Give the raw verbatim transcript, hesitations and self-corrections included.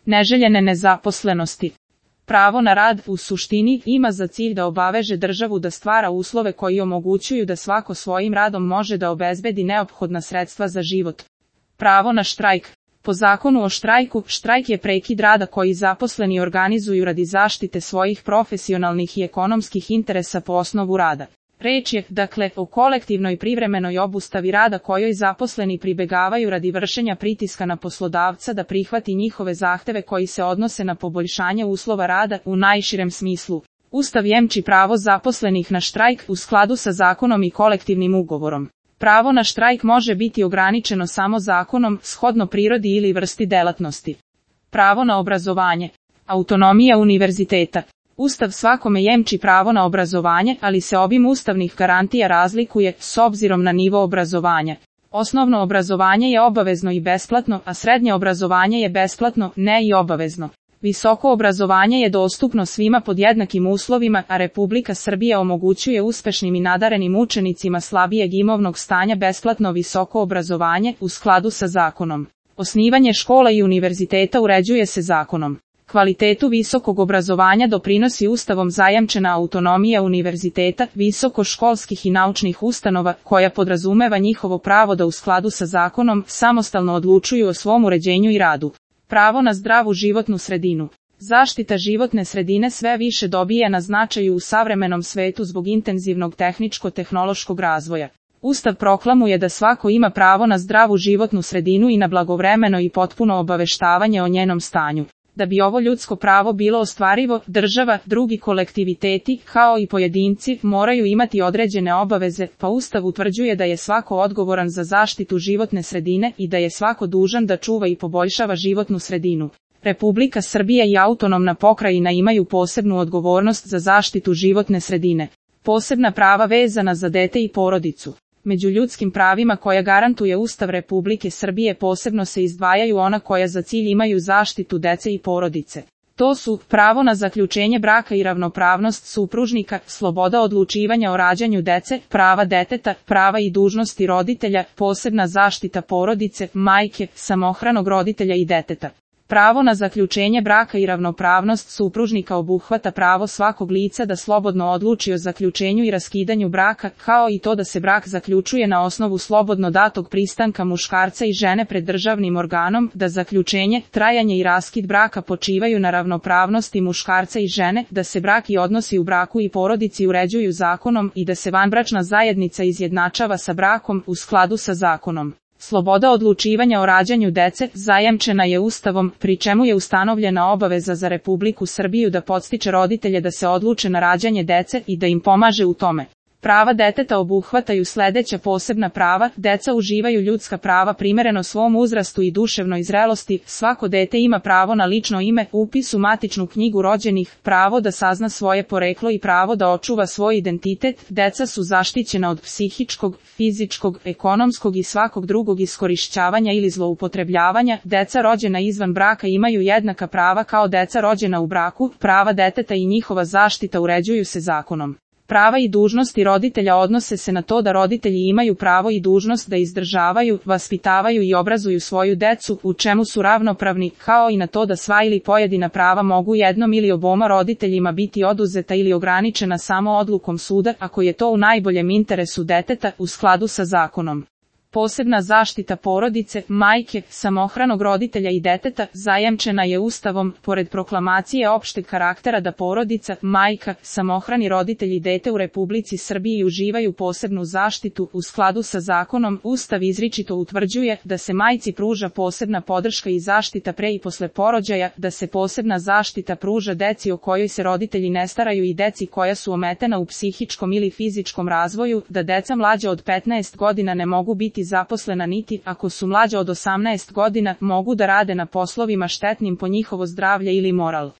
neželjene nezaposlenosti. Pravo na rad, u suštini, ima za cilj da obaveže državu da stvara uslove koji omogućuju da svako svojim radom može da obezbedi neophodna sredstva za život. Pravo na štrajk. Po zakonu o štrajku, štrajk je prekid rada koji zaposleni organizuju radi zaštite svojih profesionalnih i ekonomskih interesa po osnovu rada. Reč je, dakle, o kolektivnoj privremenoj obustavi rada kojoj zaposleni pribegavaju radi vršenja pritiska na poslodavca da prihvati njihove zahteve koji se odnose na poboljšanje uslova rada u najširem smislu. Ustav jemči pravo zaposlenih na štrajk u skladu sa zakonom i kolektivnim ugovorom. Pravo na štrajk može biti ograničeno samo zakonom, shodno prirodi ili vrsti delatnosti. Pravo na obrazovanje. Autonomija univerziteta. Ustav svakome jemči pravo na obrazovanje, ali se obim ustavnih garantija razlikuje s obzirom na nivo obrazovanja. Osnovno obrazovanje je obavezno i besplatno, a srednje obrazovanje je besplatno, ne i obavezno. Visoko obrazovanje je dostupno svima pod jednakim uslovima, a Republika Srbija omogućuje uspešnim i nadarenim učenicima slabijeg imovnog stanja besplatno visoko obrazovanje u skladu sa zakonom. Osnivanje škola i univerziteta uređuje se zakonom. Kvalitetu visokog obrazovanja doprinosi Ustavom zajamčena autonomija univerziteta, visokoškolskih i naučnih ustanova, koja podrazumeva njihovo pravo da u skladu sa zakonom samostalno odlučuju o svom uređenju i radu. Pravo na zdravu životnu sredinu. Zaštita životne sredine sve više dobija na značaju u savremenom svetu zbog intenzivnog tehničko-tehnološkog razvoja. Ustav proklamuje da svako ima pravo na zdravu životnu sredinu i na blagovremeno i potpuno obaveštavanje o njenom stanju. Da bi ovo ljudsko pravo bilo ostvarivo, država, drugi kolektiviteti, kao i pojedinci, moraju imati određene obaveze, pa Ustav utvrđuje da je svako odgovoran za zaštitu životne sredine i da je svako dužan da čuva i poboljšava životnu sredinu. Republika Srbija i autonomna pokrajina imaju posebnu odgovornost za zaštitu životne sredine. Posebna prava vezana za dete i porodicu. Među ljudskim pravima koja garantuje Ustav Republike Srbije posebno se izdvajaju ona koja za cilj imaju zaštitu dece i porodice. To su pravo na zaključenje braka i ravnopravnost supružnika, sloboda odlučivanja o rađanju dece, prava deteta, prava i dužnosti roditelja, posebna zaštita porodice, majke, samohranog roditelja i deteta. Pravo na zaključenje braka i ravnopravnost supružnika obuhvata pravo svakog lica da slobodno odluči o zaključenju i raskidanju braka, kao i to da se brak zaključuje na osnovu slobodno datog pristanka muškarca i žene pred državnim organom, da zaključenje, trajanje i raskid braka počivaju na ravnopravnosti muškarca i žene, da se brak i odnosi u braku i porodici uređuju zakonom i da se vanbračna zajednica izjednačava sa brakom u skladu sa zakonom. Sloboda odlučivanja o rađanju dece zajamčena je Ustavom, pri čemu je ustanovljena obaveza za Republiku Srbiju da podstiče roditelje da se odluče na rađanje dece i da im pomaže u tome. Prava deteta obuhvataju sledeća posebna prava: deca uživaju ljudska prava primereno svom uzrastu i duševnoj zrelosti, svako dete ima pravo na lično ime, upis u matičnu knjigu rođenih, pravo da sazna svoje poreklo i pravo da očuva svoj identitet, deca su zaštićena od psihičkog, fizičkog, ekonomskog i svakog drugog iskorišćavanja ili zloupotrebljavanja, deca rođena izvan braka imaju jednaka prava kao deca rođena u braku, prava deteta i njihova zaštita uređuju se zakonom. Prava i dužnosti roditelja odnose se na to da roditelji imaju pravo i dužnost da izdržavaju, vaspitavaju i obrazuju svoju decu, u čemu su ravnopravni, kao i na to da sva ili pojedina prava mogu jednom ili oboma roditeljima biti oduzeta ili ograničena samo odlukom suda, ako je to u najboljem interesu deteta, u skladu sa zakonom. Posebna zaštita porodice, majke, samohranog roditelja i deteta zajamčena je Ustavom, pored proklamacije opšteg karaktera da porodica, majka, samohrani roditelj i dete u Republici Srbiji uživaju posebnu zaštitu. U skladu sa zakonom, Ustav izričito utvrđuje da se majci pruža posebna podrška i zaštita pre i posle porođaja, da se posebna zaštita pruža deci o kojoj se roditelji ne staraju i deci koja su ometena u psihičkom ili fizičkom razvoju, da deca mlađa od petnaest godina ne mogu biti zaposlena niti, ako su mlađa od osamnaest godina, mogu da rade na poslovima štetnim po njihovo zdravlje ili moral.